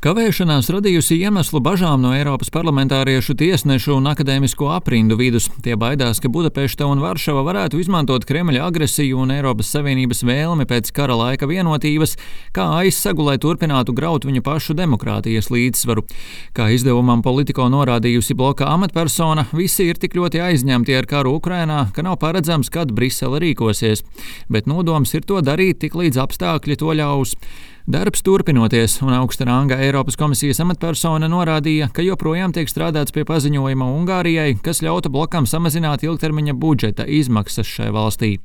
Kavēšanās radījusi iemeslu bažām no Eiropas parlamentāriešu, tiesnešu un akadēmisko aprindu vidus. Tie baidās, ka Budapešta un Varšava varētu izmantot Kremļa agresiju un Eiropas Savienības vēlmi pēc kara laika vienotības kā aizsegu, lai turpinātu graut viņu pašu demokrātijas līdzsvaru. Kā izdevumam Politico norādījusi bloka amatpersona, visi ir tik ļoti aizņemti ar karu Ukrainā, ka nav paredzams, kad Brisele rīkosies. Bet nodoms ir to darīt, tik līdz apstākļi to ļaus. Darbs turpinoties, un augsta ranga Eiropas komisijas amatpersona norādīja, ka joprojām tiek strādāts pie paziņojuma Ungārijai, kas ļautu blokam samazināt ilgtermiņa budžeta izmaksas šai valstī.